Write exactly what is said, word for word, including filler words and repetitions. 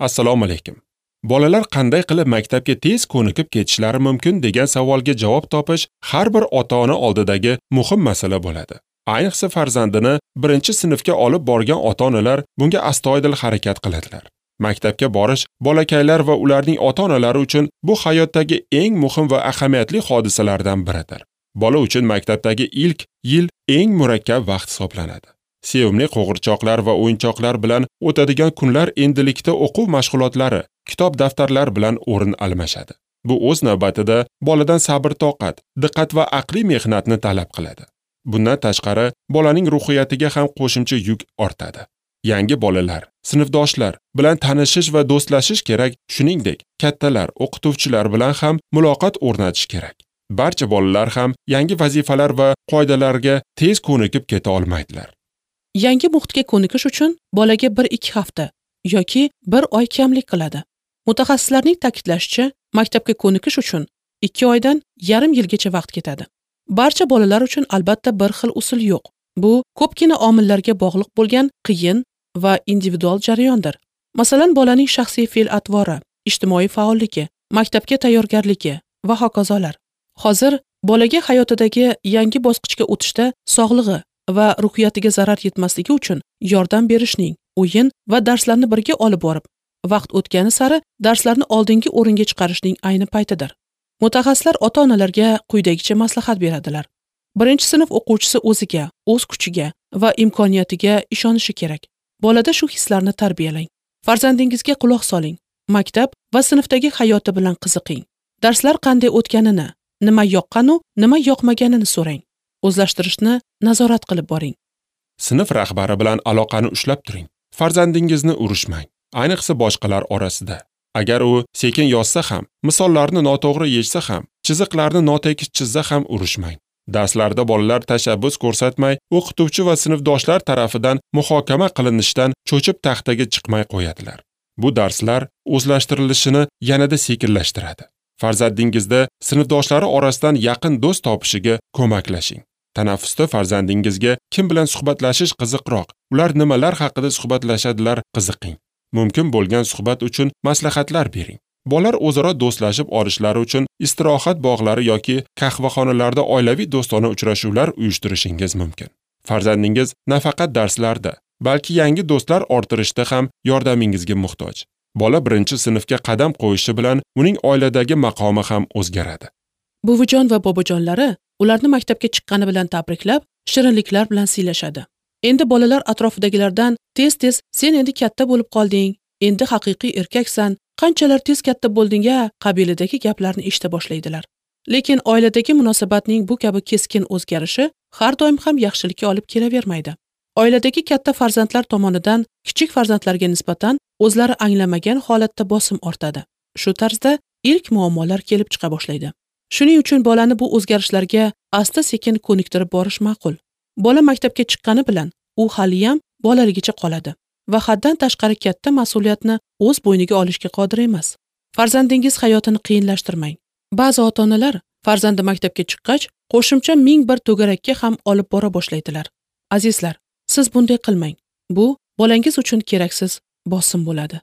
Assalomu alaykum. Bolalar qanday qilib maktabga tez ko'nikib ketishlari mumkin degan savolga javob topish har bir ota-ona oldidagi muhim masala bo'ladi. Ayniqsa farzandini birinchi sinfga olib borgan ota-onalar bunga astoydil harakat qiladilar. Maktabga borish bolakaylar va ularning ota-onalari uchun bu hayotdagi eng muhim va ahamiyatli hodisalardan biridir. Bola uchun maktabdagi ilk yil eng murakkab vaqt hisoblanadi. Sevimli qo'g'irchoqlar va o'yinchoqlar bilan o'tadigan kunlar endilikda o'quv mashg'ulotlari, kitob daftarlar bilan o'rin almashadi. Bu o'z navbatida boladan sabr-toqat, diqqat va aqliy mehnatni talab qiladi. Bundan tashqari, bolaning ruhiyatiga ham qo'shimcha yuk ortadi. Yangi bolalar, sinfdoshlar bilan tanishish va do'stlashish kerak, shuningdek, kattalar, o'qituvchilar bilan ham muloqot o'rnatish kerak. Barcha bolalar ham yangi vazifalar va qoidalarga tez ko'nikib keta olmaydilar. Yangi muhitga ko'nikish uchun bolaga bir ikki hafta yoki bir oy kamlik qiladi. Mutaxassislarning ta'kidlashicha, maktabga ko'nikish uchun ikki oydan yarim yilgacha vaqt ketadi. Barcha bolalar uchun albatta bir xil usul yo'q. Bu ko'pgina omillarga bog'liq bo'lgan qiyin va individual jarayondir. Masalan, bolaning shaxsiy fe'l-atvori, ijtimoiy faolligi, maktabga tayyorgarligi va hokazolar. Hozir bolaga hayotidagi yangi bosqichga o'tishda sog'lig'i va ruhiyatiga zarar yetmasligi uchun yordam berishning, o'yin va darslarni birga olib borib, vaqt o'tgani sari darslarni oldingi o'ringa chiqarishning ayni paytidir. Mutaxassislar ota-onalarga quyidagicha maslahat beradilar. Birinchi sinf o'quvchisi o'ziga, o'z kuchiga va imkoniyatiga ishonishi kerak. Bolada shu hislarni tarbiyalang. Farzandingizga quloq soling. Maktab va sinfdagi hayoti bilan qiziqing. Darslar qanday o'tganini, nima yoqqanu, nima yoqmaganini so'rang. O'zlashtirishni nazorat qilib boring. Sinf rahbari bilan aloqani ushlab turing. Farzandingizni urushmang, ayniqsa boshqalar orasida. Agar u sekin yozsa ham, misollarni noto'g'ri yechsa ham, chiziqlarni notekis chizsa ham urushmang. Darslarda bolalar tashabbus ko'rsatmay, o'qituvchi va sinfdoshlar tarafidan muhokama qilinishidan cho'chib taxtaga chiqmay qo'yadilar. Bu darslar o'zlashtirilishini yanada sekinlashtiradi. Farzandingizda sinfdoshlari orasidan yaqin do'st topishiga ko'maklashing. Tanaffusda farzandingizga kim bilan suhbatlashish qiziqroq, ular nimalar haqida suhbatlashadilar qiziqing. Mumkin bo'lgan suhbat uchun maslahatlar bering. Bolalar o'zaro do'stlashib olishlari uchun istirohat bog'lari yoki qahvaxonalarda oilaviy do'stona uchrashuvlar uyushtirishingiz mumkin. Farzandingiz nafaqat darslarda, balki yangi do'stlar orttirishda ham yordamingizga muhtoj. Bola birinchi sinfga qadam qo'yishi bilan uning oiladagi maqomi ham o'zgaradi. Buvijon va bobojonlari ularni maktabga chiqqani bilan tabriklab, shirinliklar bilan siylashadi. Endi bolalar atrofidagilardan tez-tez sen endi katta bo'lib qolding, endi haqiqiy erkaksan, qanchalar tez katta bo'lding-a qabilidagi gaplarni eshita boshlaydilar. Lekin oiladagi munosabatning bu kabi keskin o'zgarishi har doim ham yaxshilikka olib kelavermaydi. Oiladagi katta farzandlar tomonidan kichik farzandlarga nisbatan o'zlari anglamagan holatda bosim ortadi. Shu tarzda ilk muammolar kelib chiqa boshlaydi. Shuning uchun bolani bu o'zgarishlarga asta-sekin ko'niktirib borish ma'qul. Bola maktabga chiqqani bilan u haliyam bolaligicha qoladi va haddan tashqari katta mas'uliyatni o'z bo'yniga olishga qodir emas. Farzandingiz hayotini qiyinlashtirmang. Ba'zi ota-onalar farzandi maktabga chiqqach qo'shimcha ming bir to'garakka ham olib bora boshlaydilar. Azizlar, siz bunday qilmang. Bu bolangiz uchun keraksiz bosim bo'ladi.